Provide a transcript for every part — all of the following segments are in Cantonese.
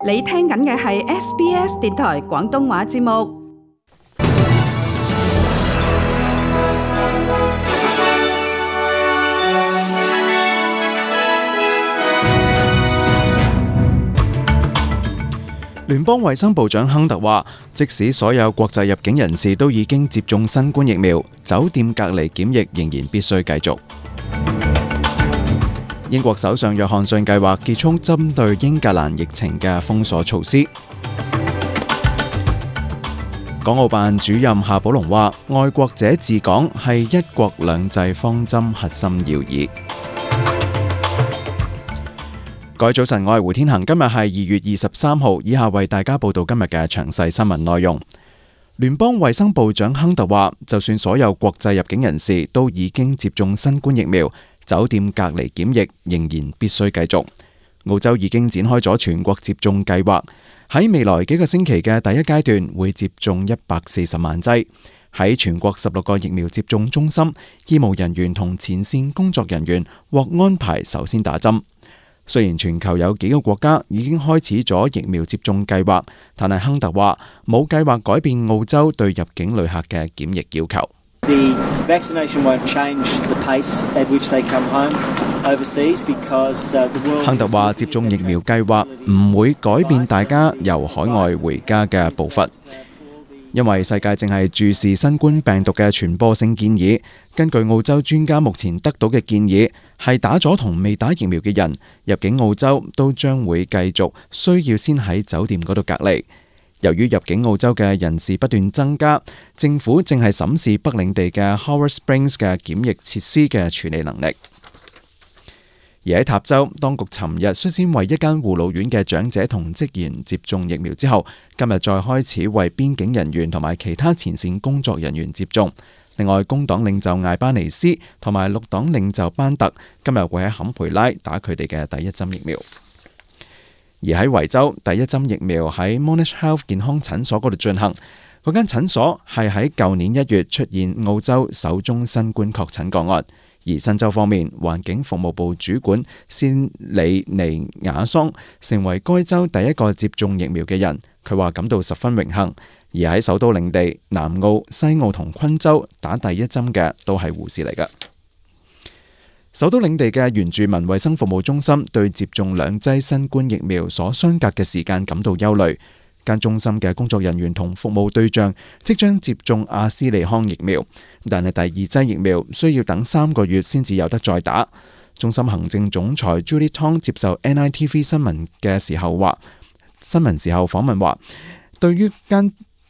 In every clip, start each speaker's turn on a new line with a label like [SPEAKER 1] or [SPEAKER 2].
[SPEAKER 1] 你聽緊嘅係 SBS 電台廣東話節目。
[SPEAKER 2] 聯邦衛生部長亨特話，即使所有國際入境人士都已經接種新冠疫苗，酒店隔離檢疫仍然必須繼續。英國首相約翰遜計劃結束針對英格蘭疫情嘅封鎖措施。港澳辦主任夏寶龍話，愛國者治港係一國兩制方針核心要義。各位早晨，我係胡天恒，今日係2月23號，以下為大家報道今日嘅詳細新聞內容。聯邦衛生部長亨特話，就算所有國際入境人士都已經接種新冠疫苗，酒店隔離檢疫仍然必須繼續。澳洲已經展開咗全國接種計劃，喺未來幾個星期嘅第一階段會接種140萬劑。喺全國16個疫苗接種中心，醫務人員同前線工作人員獲安排首先打針。雖然全球有幾個國家已經開始咗疫苗接種計劃，但係亨特話冇計劃改變澳洲對入境旅客嘅檢疫要求。亨特話接種疫苗計劃唔會改變大家由海外回家嘅步伐，因為世界正係注視新冠病毒嘅傳播性建議。根據澳洲專家目前得到嘅建議，係打咗同未打疫苗嘅人入境澳洲都將會繼續需要先喺酒店嗰度隔離。由於入境澳洲嘅人士不斷增加，政府正係審視北領地嘅 Howard Springs 嘅檢疫設施嘅處理能力。而喺塔州，當局尋日率先為一間護老院嘅長者同職員接種疫苗之後，今日再開始為邊境人員同埋其他前線工作人員接種。另外，工黨領袖艾巴尼斯同埋綠黨領袖班特今日會喺坎培拉打佢哋嘅第一針疫苗。而喺維州，第一針疫苗喺 Monash Health 健康診所嗰度進行。嗰間診所係喺舊年1月出現澳洲首宗新冠確診個案。而新州方面，環境服務部主管仙里尼亞桑成為該州第一個接種疫苗嘅人。佢話感到十分榮幸。而喺首都領地、南澳、西澳同昆州打第一針嘅都係護士嚟嘅。首都領地嘅原住民衛生服務中心對接種2劑新冠疫苗所相隔嘅時間感到憂慮。間中心嘅工作人員同服務對象即將接種阿斯利康疫苗，但係第二劑疫苗需要等3個月先至有得再打。中心行政總裁 Julie Tong 接受 NITV 新聞時候訪問話，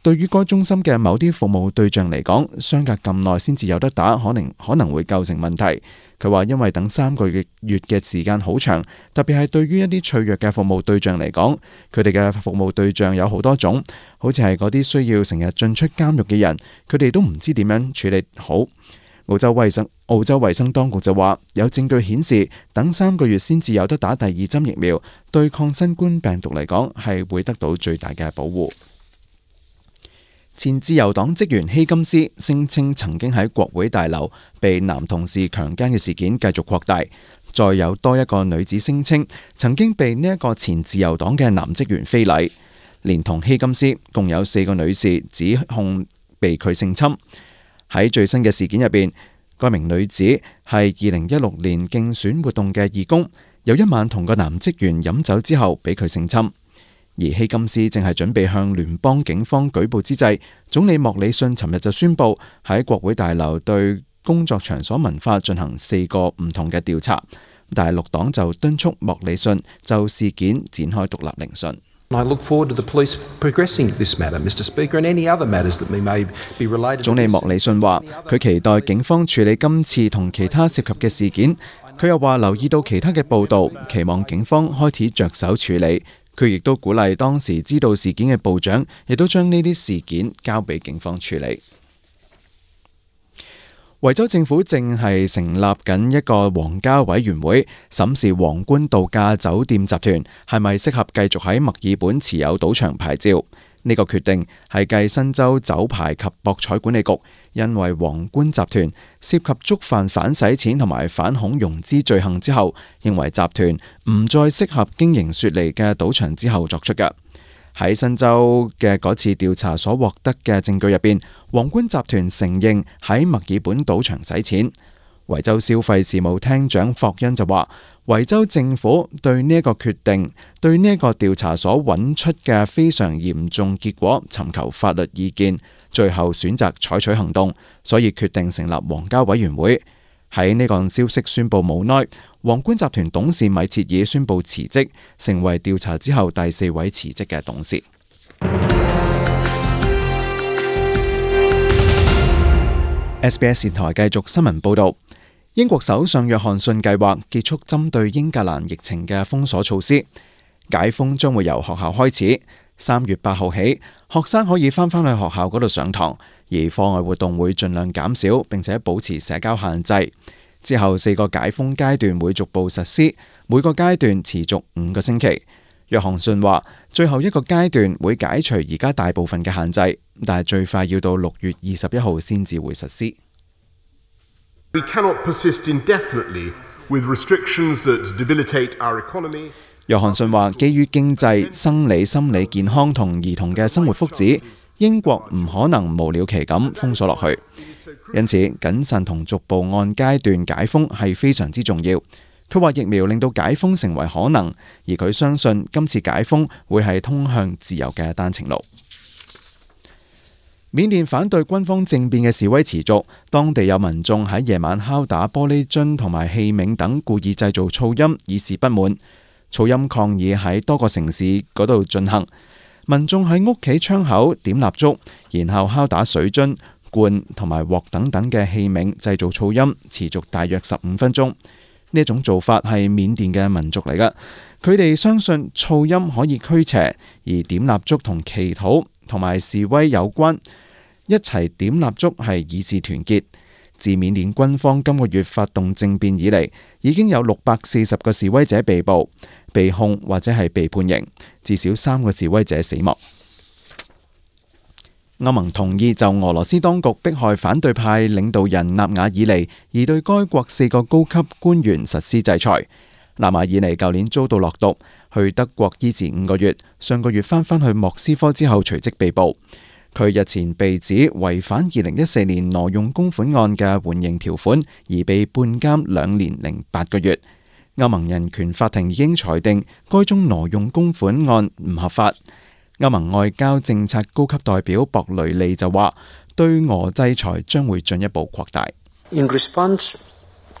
[SPEAKER 2] 對於該中心嘅某啲服務對象嚟講，相隔咁耐先至有得打，可能會構成問題。佢話因為等3個月嘅時間好長，特別係對於一啲脆弱嘅服務對象嚟講，佢哋嘅服務對象有好多種，好似係嗰啲需要成日進出監獄嘅人，佢哋都唔知點樣處理好。澳洲衛生當局就話，有證據顯示，等3個月先至有得打第二針疫苗，對抗新冠病毒嚟講係會得到最大嘅保護。前自由黨職員希金斯聲稱曾經喺國會大樓被男同事強姦嘅事件繼續擴大，再有多一個女子聲稱曾經被呢一個前自由黨嘅男職員非禮，連同希金斯共有4個女士指控被佢性侵。喺最新嘅事件入邊，該名女子係2016年競選活動嘅義工，有一晚同個男職員飲酒之後俾佢性侵。而希金斯正係準備向聯邦警方舉報之際，總理莫里遜尋日就宣布喺國會大樓對工作場所文化進行4個唔同嘅調查，但係綠黨就敦促莫里遜就事件展開獨立聆訊。總理莫里遜話，佢期待警方處理今次同其他涉及嘅事件。佢又話留意到其他嘅報道，期望警方開始着手處理。佢亦都鼓勵當時知道事件嘅部長，亦都將呢啲事件交俾警方處理。維州政府正係成立緊一個皇家委員會，審視皇冠度假酒店集團係咪適合繼續喺墨爾本持有賭場牌照。呢個決定係繼新州酒牌及博彩管理局因為皇冠集團涉及觸犯反洗錢同埋反恐融資罪行之後，認為集團唔再適合經營雪梨嘅賭場之後作出嘅。喺新州嘅嗰次調查所獲得嘅證據入邊，皇冠集團承認喺墨爾本賭場洗錢。維州消費事務廳長霍恩就話，維州政府對呢一個決定、對呢一個調查所揾出嘅非常嚴重結果尋求法律意見，最後選擇採取行動，所以決定成立皇家委員會。喺呢個消息宣布冇耐，皇冠集團董事米切爾宣布辭職，成為調查之後第4位辭職嘅董事。SBS 電台繼續新聞報道。英國首相約翰遜計劃結束針對英格蘭疫情嘅封鎖措施，解封將會由學校開始。3月8號起，學生可以翻返去學校嗰度上堂，而課外活動會盡量減少，並且保持社交限制。之後4個解封階段會逐步實施，每個階段持續5個星期。約翰遜話，最後一個階段會解除而家大部分嘅限制，但係最快要到6月21號先至會實施。
[SPEAKER 3] We cannot persist indefinitely with restrictions that debilitate our economy.
[SPEAKER 2] 約翰遜話，基於經濟、生理、心理健康同兒童嘅生活福祉，英國唔可能無了期咁封鎖落去。因此，謹慎同逐步按階段解封係非常之重要。佢話疫苗令到解封成為可能，而佢相信今次解封會係通向自由嘅單程路。緬甸反對軍方政變嘅示威持續，當地有民眾喺夜晚敲打玻璃樽同埋器皿等，故意製造噪音以示不滿。噪音抗議喺多個城市嗰度進行，民眾喺屋企窗口點蠟燭，然後敲打水樽、罐同埋鑊等等嘅器皿，製造噪音，持續大約15分鐘。呢一種做法係緬甸嘅民族嚟㗎，佢哋相信噪音可以驅邪，而點蠟燭同祈禱同埋示威有關，一齊點蠟燭係以示團結。自緬甸軍方今個月發動政變以嚟，已經有640個示威者被捕、被控或者係被判刑，至少3個示威者死亡。歐盟同意就俄羅斯當局迫害反對派領導人納瓦爾尼，而對該國4個高級官員實施制裁。納瓦爾尼舊年遭到落毒，去德國醫治5個月，上個月翻去莫斯科之後隨即被捕。佢日前被指違反2014年挪用公款案嘅緩刑條款，而被判監2年零8個月。歐盟人權法庭已經裁定該宗挪用公款案唔合法。歐盟外交政策高級代表博雷利就話，對俄制裁將會進一步擴大。
[SPEAKER 4] In response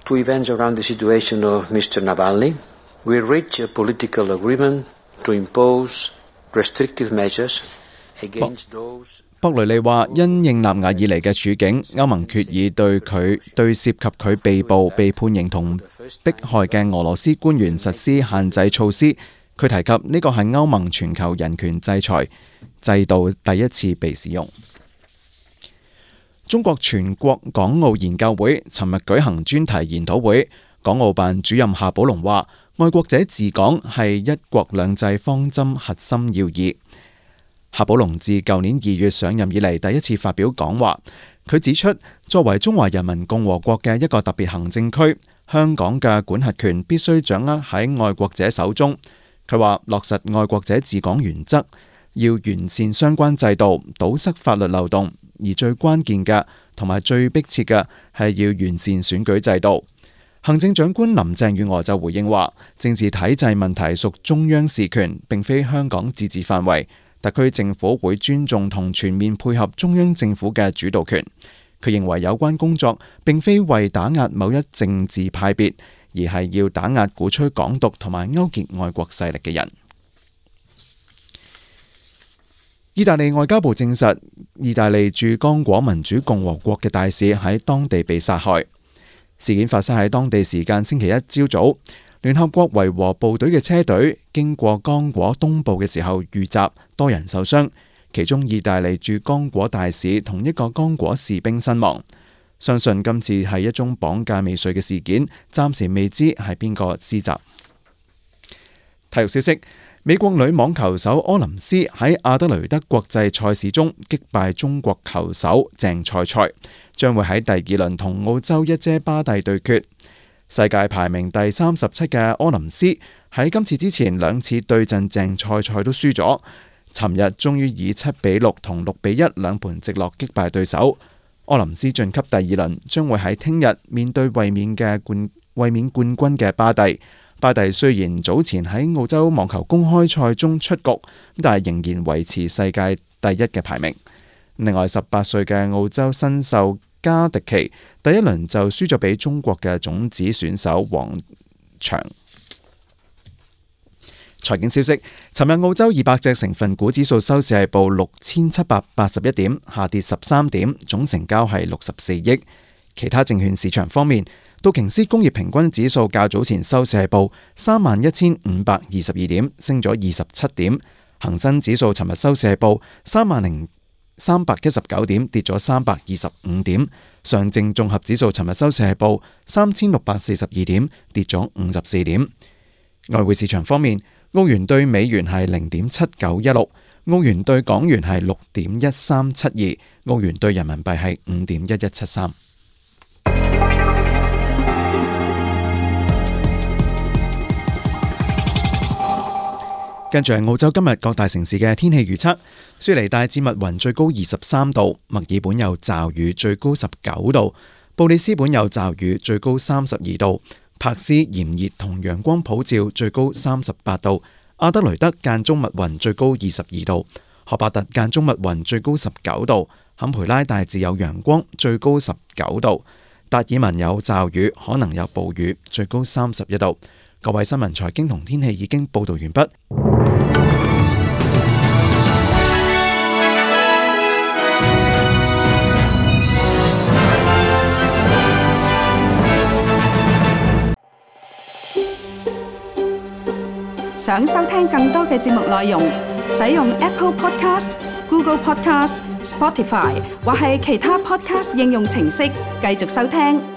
[SPEAKER 4] to events around the situation of Mr. Navalny, we reached a political agreement to impose restrictive measures against those。
[SPEAKER 2] 博雷利話，因應納瓦爾尼嘅處境，歐盟決議對涉及佢被捕、被判刑同迫害嘅俄羅斯官員實施限制措施。佢提及呢個係歐盟全球人權制裁制度第一次被使用。中國全國港澳研究會尋日舉行專題研討會，港澳辦主任夏寶龍話，愛國者治港係一國兩制方針核心要義。夏寶龍自舊年2月上任以嚟第一次發表講話，佢指出，作為中華人民共和國嘅一個特別行政區，香港嘅管轄權必須掌握喺愛國者手中。佢話落實愛國者治港原則，要完善相關制度，堵塞法律漏洞，而最關鍵嘅同埋最迫切嘅係要完善選舉制度。行政長官林鄭月娥就回應話，政治體制問題屬中央事權，並非香港自治範圍。特區政府會尊重同全面配合中央政府嘅主導權。佢認為有關工作並非為打壓某一政治派別，而係要打壓鼓吹港獨同埋勾結外國勢力嘅人。意大利外交部證實，意大利駐剛果民主共和國嘅大使喺當地被殺害。事件發生喺當地時間星期一朝早。聯合國維和部隊嘅車隊經過剛果東部嘅時候遇襲，多人受傷，其中意大利駐剛果大使同一個剛果士兵身亡。相信今次係一宗綁架未遂嘅事件，暫時未知係邊個施襲。體育消息：美國女網球手柯林斯喺阿德雷德國際賽事中擊敗中國球手鄭賽賽，將會喺第二輪同澳洲一姐巴蒂對決。世界排名第37嘅柯林斯喺今次之前2次對陣鄭賽賽都輸咗，尋日終於以7-6同6-1兩盤直落擊敗對手。柯林斯晉級第二輪，將會喺聽日面對衛冕冠軍嘅巴蒂。巴蒂雖然早前喺澳洲網球公開賽中出局，但係仍然維持世界第一嘅排名。另外18歲嘅澳洲新秀加迪奇第一輪就輸咗俾中國嘅種子選手王翔。財經消息，尋日澳洲200隻成分股指數收市係報6781點，下跌13點，總成交係64億。其他證券市場方面，道瓊斯工業平均指數較早前收市係報31,522點，升咗27點。恒生指數尋日收市係報30,319點，跌咗325點。上證綜合指數尋日收市係報3,642點，跌咗54點。外匯市場方面，澳元兌美元係0.7916，澳元兌港元係6.1372，澳元兌人民幣係5.1173。跟住係澳洲今日各大城市嘅天氣預測：雪梨大致密雲，最高23度；墨爾本有驟雨，最高19度；布里斯本有驟雨，最高32度；柏斯炎熱同陽光普照，最高38度；阿德雷德間中密雲，最高22度；荷伯特間中密雲，最高19度；坎培拉大致有陽光，最高19度；達爾文有驟雨，可能有暴雨，最高31度。各位新聞財經同天氣已經報道完畢。
[SPEAKER 1] 想收聽更多嘅節目內容，使用 Apple Podcast、Google Podcast、Spotify 或係其他 Podcast 應用程式繼續收聽。